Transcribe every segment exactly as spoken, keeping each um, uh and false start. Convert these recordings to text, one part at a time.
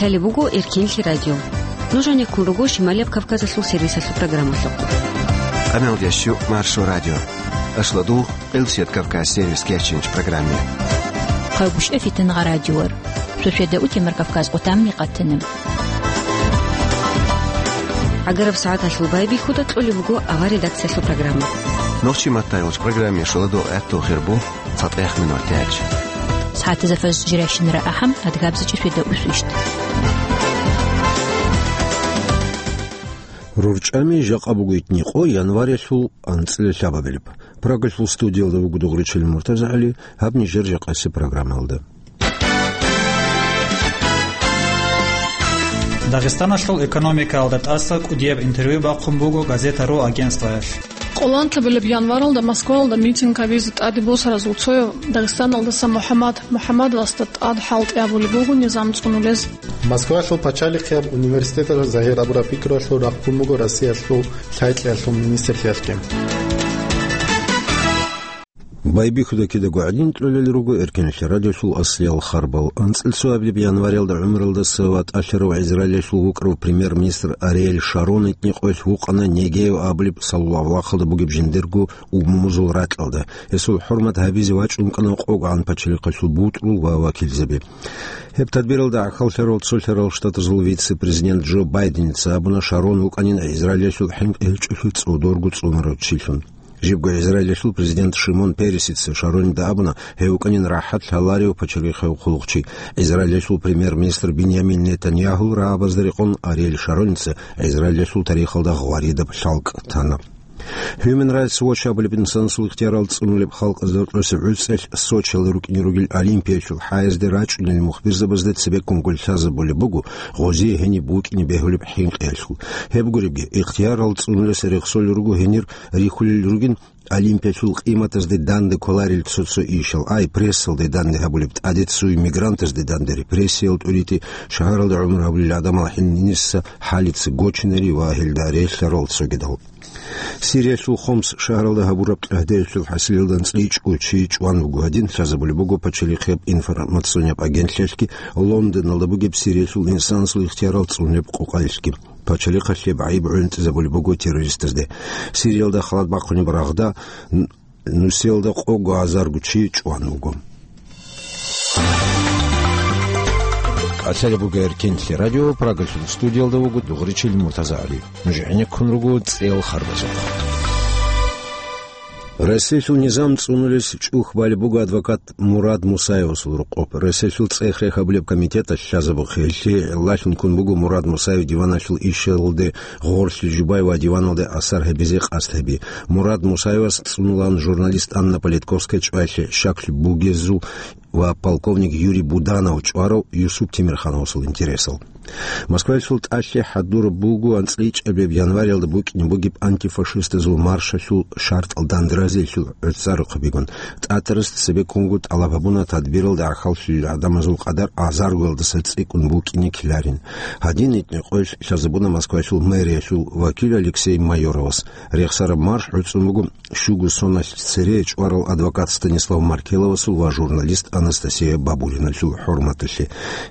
Гьале буго Эркинлъи радио. Нуж гьанеккун руго Шималияб Кавказалъул сервисалъул программалъухъ. Къамел ящу Маршо радио. Ашладул Къилсият Кавказ сервис кечинч программе. Хъайгуща фитнагъа радиор. Шошеда утимар Кавказ къутамни къатана. Агараб сагӀаталъул байбихьуда кьолеб буго авар редакциялъул программа. Нохчи маттайолч программе шоладо гӀатту хирбу. ЦатӀехъ минутач. СагӀатазда фаз жирайщинара ахӀам, адгабзачӀи шведа усвищт. РурчӀами жакъа буго итни къо январялъул анцӀила лъабабилеб. Прагалъул студиялда вуго Дугъричил МуртазагӀали, гьаб нижер жакъаси программалда. Дагъистаналъул экономикаялда тӀаса кӀудияб интервью бахъун буго газета ру агентствоялъ. Къоланлъабилеб январалда Москваялда митинг гьабизе тӀаде босаразул цояв Дагъистаналдаса МухӀаммад МухӀаммадовасда тӀад хӀалтӀи гьабулеб буго низам цӀунулез. Москваялъул пачалихъияб университеталъ загьир абураб пикруялъул рахъун буго Россиялъул лъай-кьеялъул министрлъиялъги. Байбихьуда кидаго гӀадин кьолел руго Эркинлъи радиолъул аслиял харбал. АнцӀил цоабилеб январялда ГӀумралдаса ва тӀалъарав Израилялъул вукӀарав премьер-министр Ариэль Шарон итни къоялъ вукъана Негев абулеб саллаллагьу вахъалда бугеб жиндирго умумузул ракьалда. Гьесул хӀурмат гьабизе вачӀун кӀана къогӀан пачалихъалъул бутӀрул ва вакилзаби. Гьеб тадбиралда гӀахьаллъарал цолъарал штатазул вице-президент Джо Байденица абуна Шарон вукӀанин Израилялъул хӀинкъи гьечӀолъи цӀодорго цӀунарав чилъун. Жибго Израилялъул президент Шимон Пересица Шаронида абуна, гьев вукӀанин рахӀат лъаларев пачалихъав хъулухъчи. Израилялъул премьер-министр Биньямин Нетаньягьул рагӀабазда рекъон Ариэль Шароница Израилялъул тарихалда гъваридаб лъалкӀ тана. Human Rights Watch абулеб инсанасул ихтиярал цӀунулеб халкъазда рокьоса гӀуцӀелъ Сочиялда рукӀине ругел Олимпиялъул хӀаязде рачӀунел мухбирзабазда цебеккун гуллъазабулеб буго гъозие гьениб букӀине бегьулеб хӀинкъиялъул. Гьеб гуребги, ихтиярал цӀунулес рехсолел руго гьенир рихьулел ругин Олимпиялъул къиматазде данде кколарел цо-цо ишал, ай, прессалде данде гьабулеб тӀаде ццуй, мигрантазде данде репрессиял тӀурити, шагьаралда гӀумру гьабулел гӀадамал гьениса хӀалица гочинари ва гьелда релълъарал цогидал. Сириялъул Хомс шагьаралда гьабураб кьагьдеялъул хӀасилалда анцӀила чӀу чи чӀван буго гьадин, лъазабулеб буго пачалихъияб информационияб агентлъиялъги Лондоналда бугеб Сириялъул инсанасул ихтиярал цӀунеб къокъалъги. Пачалихъалъе гӀайиб гӀунтӀизабулеб буго террористазде. Сириялда халат бахъунеб рагъда н-, нусиялда къого азарго чи чӀван вуго. КӀалъалеб буго Эркинлъи радио, Прагалъул студиялда вуго Дугъричил МуртазагӀали. Нуж гӀенеккун руго цӀел харбазухъ. Россиялъул низам цӀунулес чӀухь балеб буго адвокат Мурад Мусаевасул рокъоб. Россиялъул цӀех-рех гьабулеб комитеталъ лъазабухъеллъи гӀиллалъун ккун буго Мурад Мусаев диваналъул ишалде гъорлъи жубай ва диваналде асар гьабизе къасд гьаби. Мурад Мусаевас цӀунулан журналист Анна Политковская чӀваялъе щаклъи бугезул ва полковник Юрий Буданов чӀварав Юсуп Темирхановасул интересал. Москваялъул тӀалъи хӀадураб буго анцӀила ичӀабилеб январалда букӀине бугеб антифашистазул маршалъул шартӀал дандеразиялъул гӀуцӀарухъабигун. ТӀатарас цебеккунго тӀалаб гьабуна тадбиралда гӀахьаллъулел гӀадамазул къадар азаргоялдаса цӀикӀкӀун букӀине ккеларин. Гьадин итни къоялъ лъазабуна Москваялъул мэриялъул вакил Алексей Майоровас. Рехсараб марш гӀуцӀун буго щуго соналъ цере чӀварал адвокат Станислав Маркеловасул ва журналист Анастасия Бабуриналъул хӀурматалъе.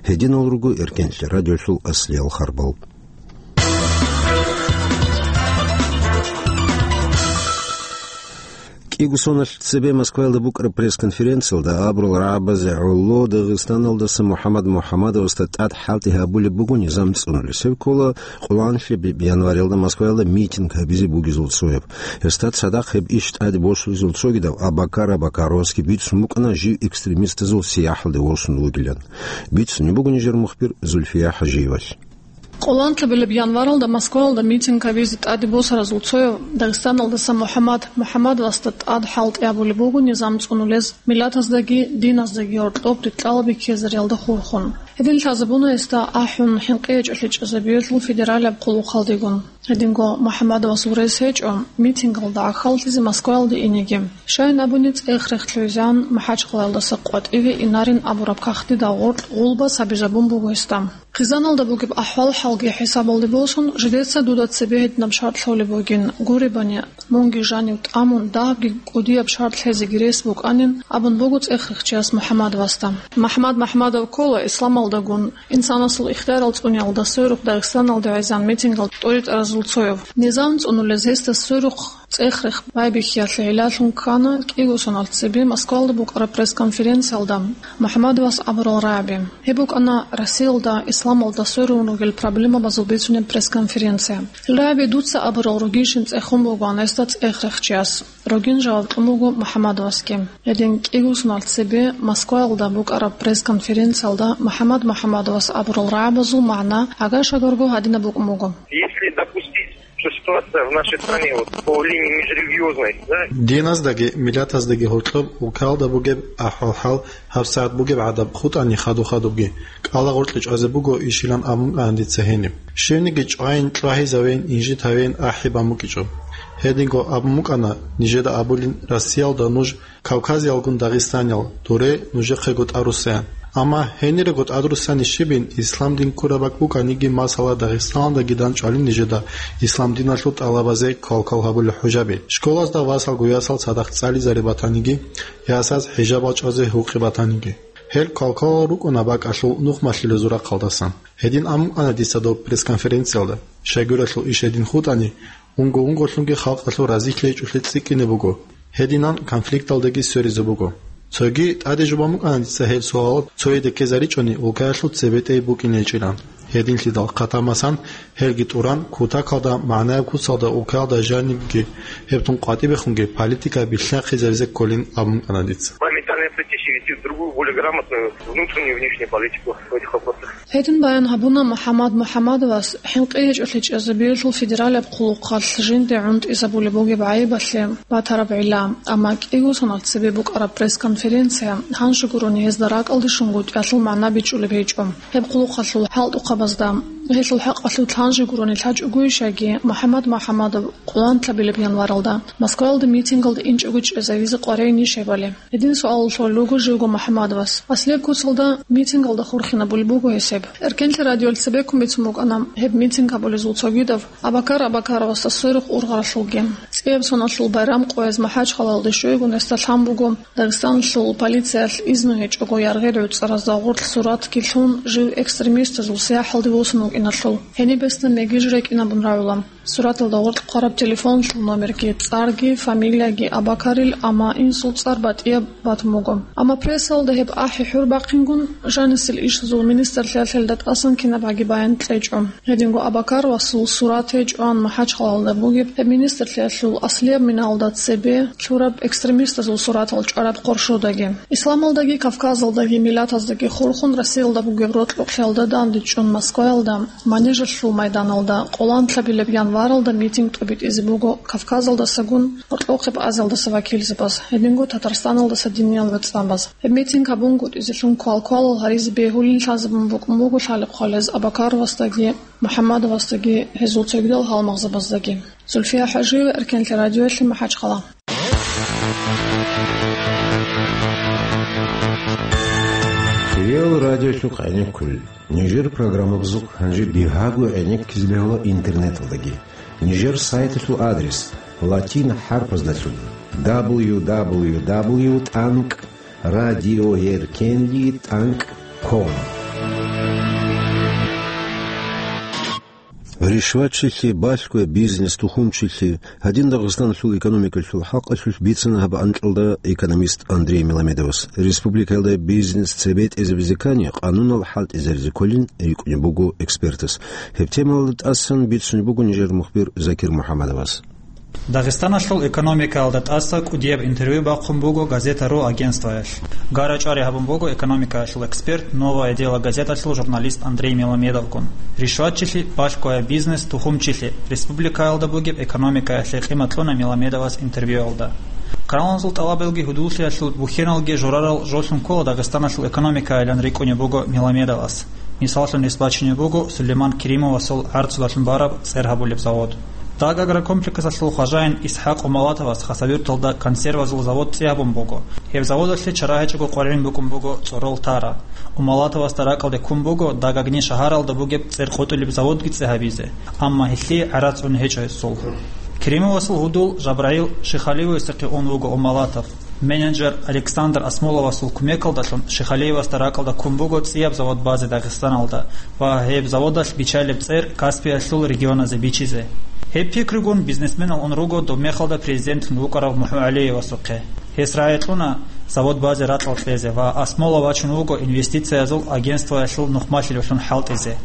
Гьединал руго Эркенлъи радиолъул аслиял харбал. КӀиго соналъ цебе Москваялда букӀараб пресс-конференциялда абурал рагӀабазе гӀоло Дагъистаналдаса МухӀаммад МухӀаммадовасда тӀад хӀалтӀи гьабулеб буго низам цӀунулес. Гьеб ккола къоланлъи январалда Москваялда митинг гьабизе бугезул цояб. Гьесда цадахъ гьеб иш тӀаде босулезул цогидав Абакар Абакаровасги бицун букӀана жив экстремистазул сияхӀалде восун вугилан. Бицунеб буго нижер мухбир Зульфия ХӀажиевалъ. Къоланлъабилеб январалда Москваялда митинг гьабизе тӀаде босаразул цояв Дагъистаналдаса МухӀаммад МухӀаммадовасда тӀад хӀалтӀи гьабулеб буго низам цӀунулез, миллатаздаги диназдаги гьоркьоб рикӀкӀалаби ккезариялда хурхун. Гьедин лъазабуна гьесда ахӀун, хӀинкъи гьечӀолъи чӀезабиялъул федералияб хъулухъалдегун. Гьединго МухӀаммадовас гурес гьечӀо митингалда гӀахьаллъизе Москваялде инеги. Щайин абуни, цӀех-рех лъугӀизегӀан МахӀачхъалаялдаса къватӀиве инарин абураб кагътидал гъоркь гъулбас гьабизабун буго гьесда. Хъизаналда бугеб ахӀвал-хӀалги хӀисабалде босун, жидеца дуда цебе гьединаб шартӀ лъолеб бугин, гуребани, мунги жанив тӀамун, дагьабги кӀудияб шартӀ лъезеги рес букӀанин, абун буго цӀех-рехчияс МухӀаммадовасда. МахӀмад МахӀмадов ккола исламалдагун инсанасул ихтиярал цӀуниялда сверухъ Дагъистаналде гӀезегӀан митингалда тӀоритӀаразул цояв. Низам цӀунулез гьесда сверухъ цӀех-рех байбихьиялъе гӀиллалъун ккана кӀиго соналъ цебе Москвалда букӀараб пресс-конференциялда МухӀаммадовас абурал рагӀаби. Гьеб букӀана Россиялда исламалда сверун ругел проблемабазул бицунеб пресс-конференция. Гьел рагӀаби дуца абурал ругищин цӀехун бугоан гьесда цӀех-рехчияс. Рогин жаваб кьун буго МухӀаммадовасги. Гьедин кӀиго соналъ цебе Москваялда букӀараб пресс-конференциялда МухӀаммад МухӀаммадовас абурал рагӀабазул магӀна гӀага-шагарго гьадинаб букӀун буго. Если допустить, что ситуация в нашей стране вот по линии межрелигиозной, да? Диназдаги миллатаздаги гьоркьоб улкаялда бугеб ахӀвал-хӀал гьабсагӀат бугеб гӀадаб хутӀани хадуб-хадубги, кӀалагъоркье чӀвазе буго ишилан абун кӀана дица гьениб. Щивниги чӀвайин, чӀвагьизавейин, инжит гьавейин ахӀи бан букӀичӀо. Гьединго абун букӀана, нижеда абулин, Россиялда нуж кавказиялгун дагъистаниял, дуре нужехъего тӀаруссаян. Амма гьенирего тӀадруссани щибин, ислам дин ккураб бакӀ букӀаниги, масала, Дагъистаналдаги данчӀвалин нижеда ислам диналъул тӀалабазе квалквал гьабулел хӀужаби. Школазда васалго ясал цадахъ цӀализари батаниги, ясаз хӀижабал чӀвазе гьукъи батаниги. Гьел квалквалал рукӀуна бакӀалъул нухмалъулезул рахъалдасан. Гьедин абун кӀана дица доб пресс-конференциялда. Щайгурелъул иш гьедин хутӀани, унго-унголъунги халкъалъул разилъи гьечӀолъи цӀикӀкӀине буго, гьединан конфликталдаги сверизе буго. Цоги тӀаде жубан букӀана дица гьел суалал цояде ккезаричӀони, улкаялъул цебетӀей букӀине гьечӀилан. Гьединлъидал хъатамасан, гьелги тӀуран, кутакалда, магӀнаяб куцалда, улкаялда жанибги гьеб тун къватӀибехунги политика билълъанхъизаризе кколин абун кӀана дица. Моментально прийти, через другую, более грамотную внутреннюю и внешнюю политику в этих вопросах. Гьедин баян гьабуна МухӀаммад МухӀаммадовас хӀинкъи гьечӀолъи чӀезабиялъул федералияб хъулухъалъ жинде гӀунтӀизабулеб бугеб гӀайибалъе батараб гӀилла, амма кӀиго соналъ цебе букӀараб пресс-конференция гьанже гурони гьезда ракӀалде щунгутӀиялъул магӀна бичӀчӀулеб гьечӀо. Гьеб хъулухъалъул хӀалтӀухъабазда, гьелъул хӀакъалъулъ гьанже гурони лъачӀогойищаги, МухӀаммад МухӀаммадов къоланлъабилеб январалда Москваялда митингалда инчӀого чӀезавизе къваригӀинищ гьебали? Гьедин суалалъ лъолел руго живго МухӀаммадовас. Аслияб куцалда митингалда хурхинабулеб буго гьесеб. Эркенлъи радиоялъ цебеккун бицун букӀана гьеб митинг гьабулезул цогидав Абакар Абакаровасда сверухъ ургъаралъулги. ЦӀияб соналъул байрам къояз МахӀачхъалаялде щвейгун гьесда лъан буго Дагъистаналъул полициялъ изну гьечӀого яргъи гӀуцӀаразда гъорлъ суратги лъун, жив экстремистазул сияхӀалде восун вукӀиналъул. Гьениб гьесда мегиж рекӀинабун рагӀула. Сураталда гъоркь хъвараб телефоналъул номерги, цӀарги, фамилияги Абакарил, амма инсул цӀар батӀияб батун буго. Амма прессалда гьеб ахӀи хӀур бахъингун, жанисел ишазул министрлъиялъ гьелда тӀасан кинабгӀаги баян кьечӀо. Гьединго Абакаровасул сурат гьечӀоан МахӀачхъалаялда бугеб гьеб министрлъиялъул аслияб миналда цебе лъураб экстремистазул суратал чӀвараб къоршодаги. Исламалдаги, Кавказалдаги, миллатаздаги хурхун Россиялда бугеб рокьукълъиялда дандечӀун Москваялда, Манежалъул майданалда къоланлъабилеб январалда митинг тӀобитӀизе буго Кавказалдасагун гьоркьохъеб Азиялдаса вакилзабаз, гьединго Татарстаналдаса диниял вацӀцӀабаз. Гьеб митинг гьабунгутӀизелъун квалквалал гьаризе бегьулин лъазабун букӀун буго лъалеб хъвалез Абакаровасдаги, МухӀаммадовасдаги, гьезул цогидал гьалмагъзабаздаги. Зульфия ХӀажиева, Эркенлъи радиоялъе, МахӀачхъала. Реал радиолъухъ гӀенеккулел. Нижер программабазухъ гьанже бигьаго гӀенеккизе бегьула интернеталдаги. Нижер сайталъул адрес латин хӀарпаздалъун: дабл ю дабл ю дабл ю тӀанкӀ радиоеркенли тӀанкӀ ком. Ришватчилъи, балъгояб бизнес, тухумчилъи, гьадин Дагъистаналъул экономикалъул хӀакъалъулъ бицана гьаб анкьалда экономист Андрей Меламедовас. Республикаялда бизнес цебетӀезабизе ккани, къанунал хӀалтӀизаризе кколин рикӀкӀунеб буго экспертас. Гьеб темаялда тӀасан бицунеб буго нижер мухбир Закир МухӀаммадовас. Дагъистаналъул экономикаялда тӀаса кӀудияб интервью бахъун буго «Газета.ру» агентствоялъ. Гара-чӀвари гьабун буго экономикаялъул эксперт «Новое дело» газеталъул журналист Андрей Меламедовгун. Ришватчилъи, балъгояб бизнес, тухумчилъи, республикаялда бугеб экономикаялъе къимат кьуна Меламедовас интервьюялда. Каналазул тӀалабалги гьудуллъиялъул бухьеналги журарал жолъун ккола Дагъистаналъул экономикайилан рикӀкӀунеб буго Меламедовас. Мисаллъун гьес бачине буго Сулейман Керимовасул гӀарцудалъун бараб цӀер гьабулеб завод. Даг агрокомплексалъул хважаин ИсхӀакъ Умалатовас Хасавюрталда консервазул завод цӀи гьабун буго. Гьеб заводалъе чара гьечӀого къваригӀун букӀун буго цӀорол тара. Умалатовасда ракӀалде ккун буго Дагагни шагьаралда бугеб цӀер къотӀулеб заводги цӀи гьабизе, амма гьелъие гӀарац ун гьечӀо гьесул. Керимовасул гьудул Жабраил Шихалиевасухъе ун вуго Умалатов. Менеджер Александр Асмоловасул кумекалдалъун Шихалиевасда ракӀалда ккун буго цӀияб завод базе Дагъистаналда ва гьеб заводалъ биччалеб цӀер Каспиялъул регионазе бичизе. Гьеб пикругун бизнесменал ун руго доб мехалда президентлъун вукӀарав МухӀу ГӀалиевасухъе. Гьес рагӀи кьуна завод базе ракьал кьезе ва Асмолов вачун вуго инвестициязул агентствоялъул нухмалъилевлъун хӀалтӀизе.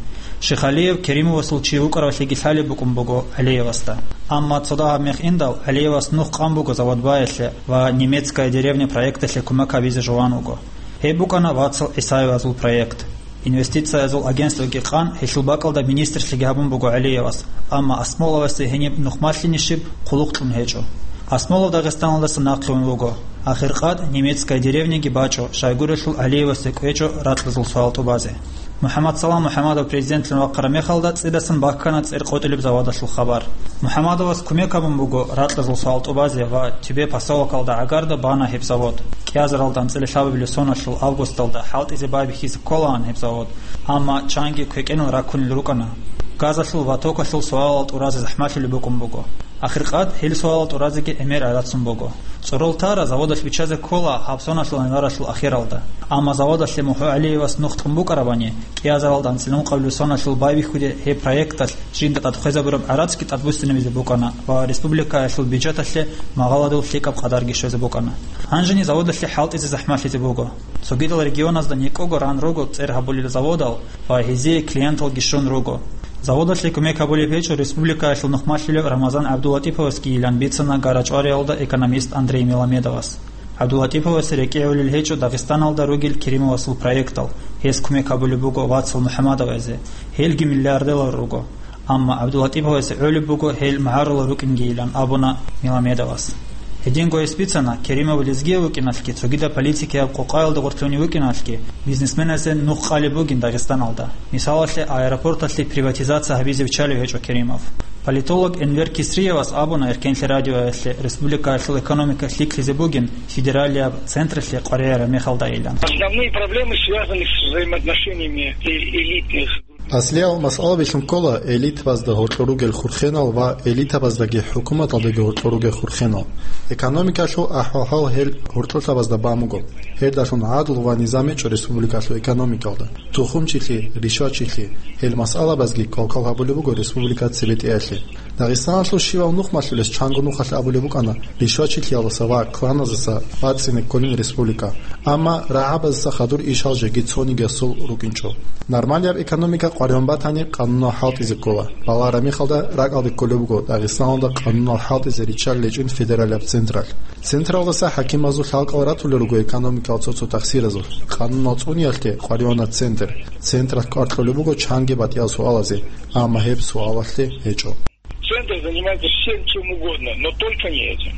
Шихалиев Керимовасул чи вукӀаравлъиги лъалеб букӀун буго ГӀалиевасда. Амма цо дагьаб мех индал, ГӀалиевас нух къан буго завод баялъе ва «Немецкая деревня» проекталъе кумек гьабизе жуван вуго. Гьеб букӀана вацал ГӀисаевазул проект. Инвестициязул агентствоги къан, гьелъул бакӀалда министрлъиги гьабун буго ГӀалиевас, амма Асмоловасе гьениб нухмалъинищиб хъулухъ кьун гьечӀо. Асмолов Дагъистаналдаса нахъе ун вуго. Ахиркъад «Немецкая деревняги» бачӀо, щайгурелъул ГӀалиевасде кӀвечӀо ракьазул суал тӀубазе. МухӀаммадсалам МухӀаммадов президентлъун вахъараб мехалда цӀидасан баккана цӀер къотӀулеб заводалъул хабар. МухӀаммадовас кумек гьабун буго ракьазул суал тӀубазе ва Тюбе поселокалда гӀагарда бана гьеб завод. КӀиазаралда анцӀила лъабабилеб соналъул августалда хӀалтӀизе байбихьизе кколаан гьеб завод, амма чанги квекӀенал раккунел рукӀана. Газалъул ва токалъул суалал тӀуразе захӀмалъулеб букӀун буго. Ахиркъад гьел суалал тӀуразеги гӀемер гӀадацун буго. ЦӀорол тара заводалъ биччазе ккола гьаб соналъул январалъул ахиралда. Амма заводалъе МухӀу ГӀалиевас нух кьун букӀарабани, кӀиазаралда анцӀила ункъабилеб соналъул байбихьуде гьеб проекталъ жинда тӀад хвезабураб гӀарацги тӀад буссинабизе букӀана ва республикаялъул бюджеталъе магъаладул лъикӀаб къадарги щвезе букӀана. Гьанжени заводалъе хӀалтӀизе захӀмалъизе буго. Цогидал регионазда никӀого ран руго цӀер гьабулел заводал ва гьезие клиенталги щун руго. Заводалъе кумек гьабулеб гьечӀо республикаялъул нухмалъулев Рамазан ГӀабдулатӀиповасгийилан бицана ГарачӀвариялда экономист Андрей Меламедовас. ГӀабдулатӀиповасе рекӀигӀулел гьечӀо Дагъистаналда ругел Керимовасул проектал, гьес кумек гьабулеб буго вацал МухӀаммадовазе, гьелги миллиардерлар руго. Амма ГӀабдулатӀиповасе гӀолеб буго гьел магӀарулал рукӀингийилан абуна Меламедовас. Гьединго гьес бицана, Керимов лезгияв вукӀиналъги, цогидаб политикияб къокъаялда гъорлъунев вукӀиналъги, бизнесменазе нух къалеб бугин Дагъистаналда. Мисалалъе, аэропорталъе приватизация гьабизе виччалев гьечӀо Керимов. Политолог Энвер Кисриевас абуна Эркенлъи радиоялъе, республикаялъул экономика лъикӀлъизе бугин федералияб централъе къваригӀараб мехалдайилан. Основные проблемы связаны с взаимоотношениями э-, элитных. Аслиял масъалабилъун ккола элитабазда гьоркьор ругел хурхенал ва элитабаздаги хӀукуматалдаги гьоркьор ругел хурхенал. Экономикалъул ахӀвал-хӀал гьел гьоркьорлъабазда бан буго. Гьелдалъун гӀадлу ва низам гьечӀо республикалъул экономикалда. Тухумчилъи, ришвачилъи, гьел масъалабазги квалквал гьабулеб буго республика цебетӀеялъе. Дагъистаналъул щивав нухмалъулес чанго нухалъ абулеб букӀана, ришвачилъиялдаса ва кланазаса бацӀцӀине кколин республика. Амма рагӀабазаса хадур ишал жеги цонигиясул рукӀинчӀо. Нормалияб экономика къваригӀун батани, къанунал хӀалтӀизе ккола. Балагьараб мехалда ракӀалде кколеб буго Дагъистаналда къанунал хӀалтӀизе риччалел гьечӀин федералияб централъ. Централдаса хӀакимазул лъалкӀал ратулел руго экономикал цо-цо тахсиразулъ. Къанунал цӀуниялъе къваригӀуна центр. Централъ кӀвар кьолеб буго чанги батӀиял суалазе, амма гьеб суалалъе гьечӀо. Центр занимается всем, чем угодно, но только не этим.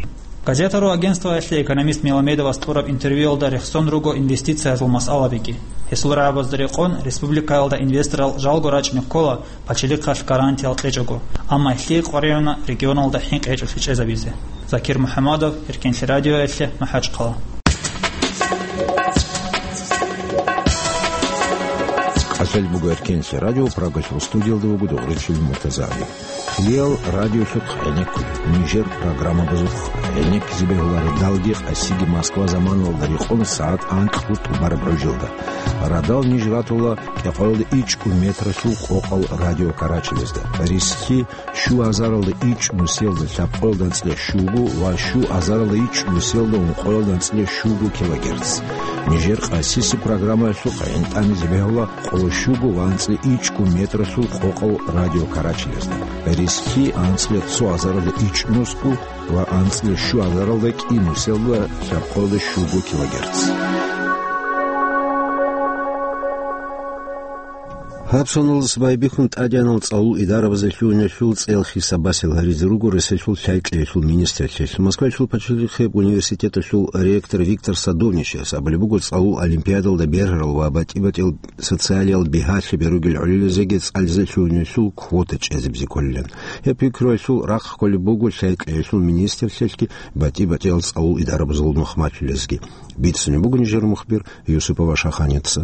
Газета.ру агентствоялъе экономист Меламедовас кьураб интервьюялда рехсон руго инвестициязул масъалабиги. Гьесул рагӀабазда рекъон, республикаялда инвесторал жалго рачӀине ккола, пачалихъалъ гарантиял кьечӀого, амма гьелъие къваригӀуна регионалда хӀинкъи гьечӀолъи чӀезабизе. Закир МухӀамадов, Эркенлъи радиоялъе, МахӀачхъала. КӀалъалеб буго Эркенлъи радио, Прагасул студиялда вуго Дугъричил Муртазагьли. Хилиял радиолъухъ гӀенеккуй, нижер программабазухъ гӀенеккизе бегьуларо далги къасиги Москва заманалда рекъон сагӀат анкьго тӀубараб гӀужалда. Радал ниж ратула кӀикъоялда ичӀго метралъул къокъал радио карачелезда. Рисхьи щу азаралда ичӀ нусиялда лъабкъоялда анцӀила щуго ва щу азаралда ичӀ нусиялда ункъоялда анцӀила щуго килогерц. Нижер къасиси программаялъухъ гӀинтӀанизе бегьула къоло щуго ва анцӀила ичӀго метралъул къокъал радио карачелезда. Рисхьи анцӀила цо азаралда ичӀ нусго ва анцӀила щу азаралда кӀи нусиялда лъабкъоялда щуго килогерц. Гьаб соналдаса байбихьун тӀадегӀанал цӀалул идарабазе лъугьиналъул цӀеял хисаб-басиялъ гьаризе руго Росиялъул лъай кьеялъул министрлъиялъ. Москваялъул пачалихъияб университеталъул ректор Виктор Садовничияс абулеб буго цӀалул олимпиадалда бергьарал ва батӀи-батӀиял социалиял бигьалъаби ругел гӀолилазеги цӀализе лъугьиналъул квота чӀезабизе кколилан. Гьеб пикруялъул рахъ кколеб буго лъай кьеялъул министрлъиялъги батӀи-батӀиял цӀалул идарабазул нухмалъулезги. Бицунеб буго нижер мухбир Юсупова Шаханица.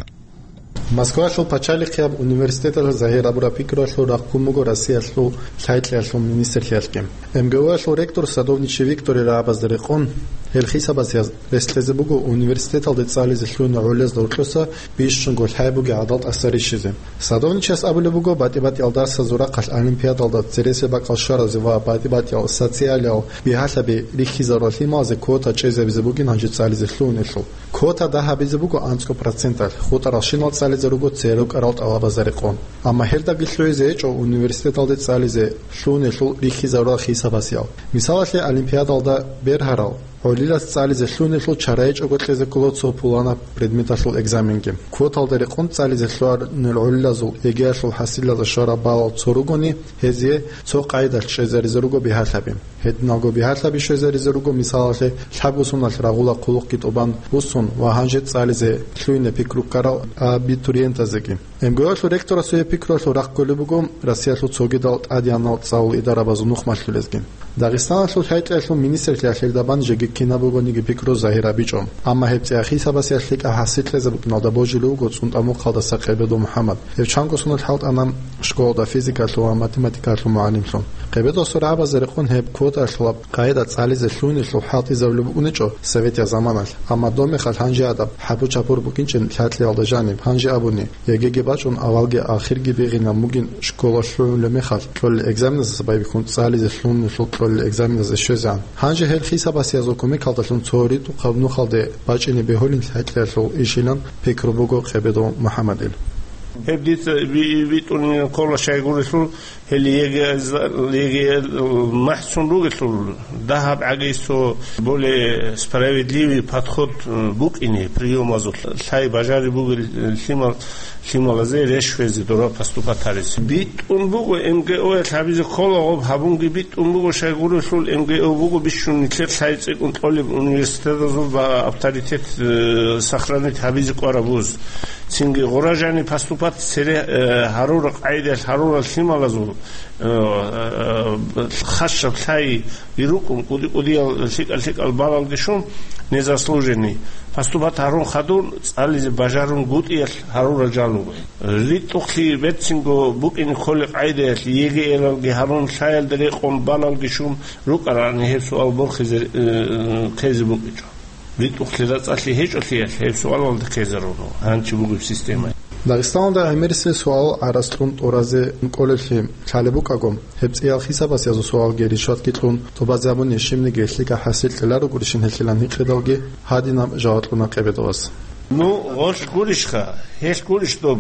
Москвалъул пачалихъияб университеталъ загьир абураб пикруялъул рахъун буго Россиялъул лъай кьеялъул министрлъиялъги. МГУ-ялъул ректор Садовничий Викторил рагӀабазда рекъон, гьел хисабасда рес кьезе буго университеталде цӀализе лъугьунел гӀолилазда гьоркьоса бищунго лъай бугеб гӀадал тӀаса рищизе. Садовничияс абулеб буго, батӀи-батӀиял дарсазул рахъалъ олимпиадалда цересел бакӀал щваразе ва батӀи-батӀиял социалиял бигьалъаби рихьизарулел лъималазе квота чӀезабизе бугин гьанже цӀализе лъугьунелъул. Квота дагь гьабизе буго анцӀго проценталъ, хутӀаралщинал цӀализе руго церекъарал тӀалабазда рекъон. Амма гьелдаги лъугӀизе гьечӀо университеталде цӀализе лъугьунелъул рихьизарурал хисабасиял. Мисалалъе, олимпиадалда бергьарал гӀолилас цӀализе лъугьунелъул чара гьечӀого кьезе ккола цо пуланаб предметалъул экзаменги. Квоталда рекъон цӀализе лъугьунел гӀолилазул ЕГЭ-ялъул хӀасилалда щвараб балал цо ругони, гьезие цо къайдалъ чӀезаризе руго бигьалъаби. Гьединалго бигьалъаби щвезаризе руго, мисалалъе, лъабго соналъ рагъула хъулухъги тӀубан буссун ва гьанже цӀализе лъугьине пикру ккарал абитуриентазеги. МГУ-ялъул ректорасул гьеб пикруялъул рахъ кколеб буго Россиялъул цогидал тӀадегӀанал цӀалул идарабазул нухмалъулезги. Дагъистаналъул лъай кьеялъул министрлъиялъ гьелда бан жеги кинаб бугониги пикру загьир гьабичӀо. Амма гьеб цӀеял хисабасиялъ лъикӀаб хӀасил кьезе букӀиналда божилев вуго ЦӀунтӀа-Мухъалдаса Къебедов МухӀаммад. Гьев чанго соналъ хӀалтӀана школалда физикалъул ва математикалъул мугӀалимлъун. Къебедовасул рагӀабазда рекъон гьеб квотаялъулаб къайда цӀализе лъугьунелъул хӀалтӀизабулеб букӀунечӀо советиял заманалъ, амма доб мехалъ гьанже гьадаб хӀабу-чапур букӀинчӀин лъай кьеялда жаниб. Гьанже абуни, ЕГЭ-ги бачӀун авалги ахирги бегьинаб бугин школа лъугӀулеб мехалъ кьолел экзаменаздаса байбихьун цӀализе лъугьунелъул кьолел экзаменазде щвезегӀан. Гьанже гьел хисабасиязул кумекалдалъун цо ритӀухъаб нухалде бачӀине бегьулин лъай кьеялъул ишилан пикру буго Къебедов МухӀаммадил. Гьеб дица би-, битӀунин ккола щайгурелъул, гьел ЕГЭ-, ЕГЭ махӀцун ругелъул, дагьаб гӀагейсо более справедливый подход, э, букӀине приёмазул, лъай бажари бугел, э, лъимал, лъималазе рещвезе дора поступать гьаризе. БитӀун буго МГУ-ялъ гьабизе ккола гъоб, гьабунги битӀун буго, щайгурелъул МГУ буго бищун нилъер лъай цӀикӀкӀун кьолеб университетазул ва авторитет, э, сохранить гьабизе кӀвараб вуз. Цинги гъура жани поступать цере, э, гьарурал къайдаялъ гьарурал лъималазул, э, э, хасаб лъайги рукӀун, кӀуди-кӀудиял лъикӀал-лъикӀал балалги щун, незаслуженный, поступать гьарун хадур цӀализе бажарунгутӀиялъ гьарурал жал руго. РитӀухълъи берцинго букӀине кколеб къайдаялъ ЕГЭ-ялалги гьарун, лъаялда рекъон балалги щун рукӀарани гьеб суал борхизе, э, ккезе букӀинчӀо. РитӀухълъи рацӀцӀалъи гьечӀолъиялъ гьеб суалалда ккезаруно гьанчи бугеб система. Дагъистаналда гӀемерисел суал гӀарац кьун тӀуразе кӀолеблъи лъалеб букӀаго, гьеб цӀеял хисабасиязул суалги ришватги кьун тӀубазе абуни щибниги лъикӀаб хӀасил кьеларогурищин гьелъилан гьикъидалги гьадинаб жаваб кьуна Къебедовас. Ну, гъолъ гурищха, гьелъ гурищ доб.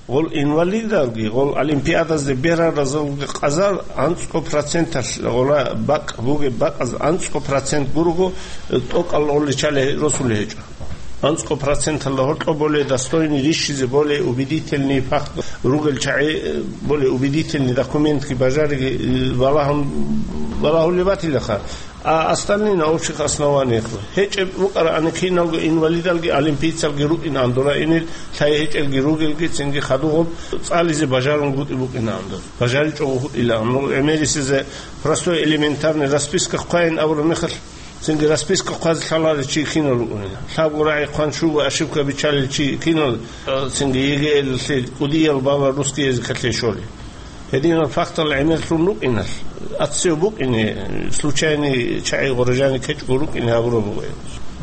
Гъол инвалидалги, гъол олимпиадазде бергьаразулги къазар анцӀго проценталъ, гъола бакӀ бугеб бакӀаз анцӀго процент гурого, э, тӀокӀал гъолли чали росулей гьечӀо. АнцӀго проценталда гьоркьоб более достойный рищизе, более убедительный факт ругел чагӀи, э, более убедительный документги бажариги, э, балагьун, балагьулеб батилаха. А остальные на общих основаниях. ГьечӀеб букӀараани киналго инвалидалги олимпийцалги рукӀинаан дураинил, лъай гьечӀелги ругелги цинги хадугъуб цӀализе бажарунгутӀи букӀинаан дур. БажаричӀого гьутӀилаан. Ну, гӀемерисезе простой элементарный расписка хъвайин абураб мехалъ, цинги расписка хъвазе лъаларев чи кинал рукӀунин. Лъабго рагӀи хъван щуго ошибка биччалел чи кинал, цинги ЕГЭ-ялъе кӀудиял балал русский языкалъе щолел. Гьединал фактал гӀемерлъун рукӀиналъ, аццев букӀине, случайный чагӀи гъорожани ккечӀого рукӀине гьабураб буго.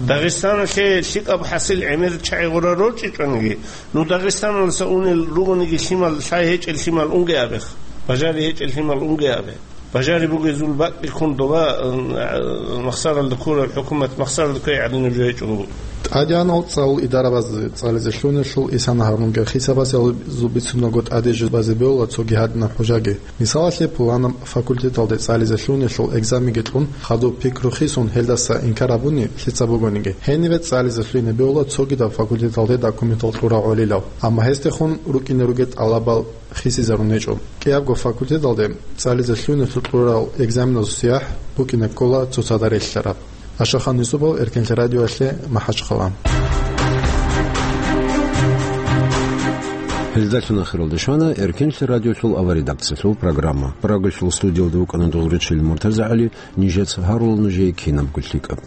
Дагъистаналъе лъикӀаб хӀасил гӀемер чагӀи гъора рорчӀичӀониги, ну, Дагъистаналдаса унел ругониги лъимал, лъай гьечӀел лъимал унге абех, бажари гьечӀел лъимал унге абе. Бажари бугезул бакӀги ккун доба, э, махсаралда ккураб хӀукумат махсаралда кквей гӀадинаб жо гьечӀого буго. ТӀадегӀанал цӀалул идарабазде цӀализе лъугьунелъул исана гьарунги хисабазул бицунаго тӀаде жубазе бегьула цоги гьадинаб хӀужаги. Мисалалъе, пуланаб факультеталде цӀализе лъугьунелъул экзаменги кьун, хадуб пикру хисун, гьелдаса инкар гьабуни лъица бугониги, гьениве цӀализе лъугьине бегьула цогидаб факультеталде документал кьурав гӀолилав. Амма гьесдехун рукӀине ругел тӀалабал хисизарун гьечӀо. КӀиябго факультеталде цӀализе лъугьунелъул кьурал экзаменазул сияхӀ букӀине ккола цоцазда релълъараб. Ашахан Юсупов, Эркенлъи радиоялъе, МахӀачхъала. Гьелдалъун ахиралде щвана Эркенлъи радиолъул аваредакциялъул программа. Прагалъул студиялда вукӀана Долгъречил МуртазагӀали, нижеца гьарула нужее кинабго лъикӀаб.